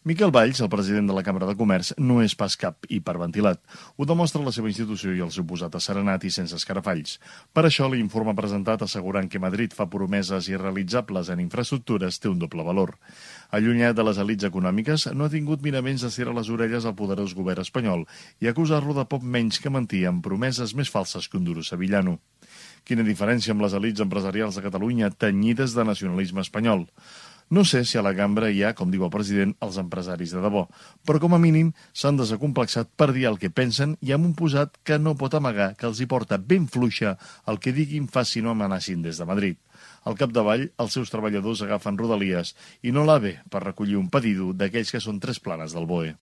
Miquel Valls, el president de la Cambra de Comerç, no és pas cap hiperventilat. Ho demostra la seva institució i el seu posat asserenat i sense escarafalls. Per això, l'informe presentat assegurant que Madrid fa promeses irrealitzables en infraestructures té un doble valor. Allunyat de les elits econòmiques, no ha tingut miraments d'estirar les orelles al poderós govern espanyol i acusar-lo de poc menys que mentir amb promeses més falses que un duro sevillano. Quina diferència amb les elits empresarials de Catalunya tenyides de nacionalisme espanyol. No sé si a la cambra hi ha, com diu el president, els empresaris de debò, però com a mínim s'han desacomplexat per dir el que pensen i amb un posat que no pot amagar que els hi porta ben fluixa el que diguin facin o amenacin des de Madrid. Al capdavall, els seus treballadors agafen Rodalies i no l'AVE per recollir un pedido d'aquells que són tres planes del BOE.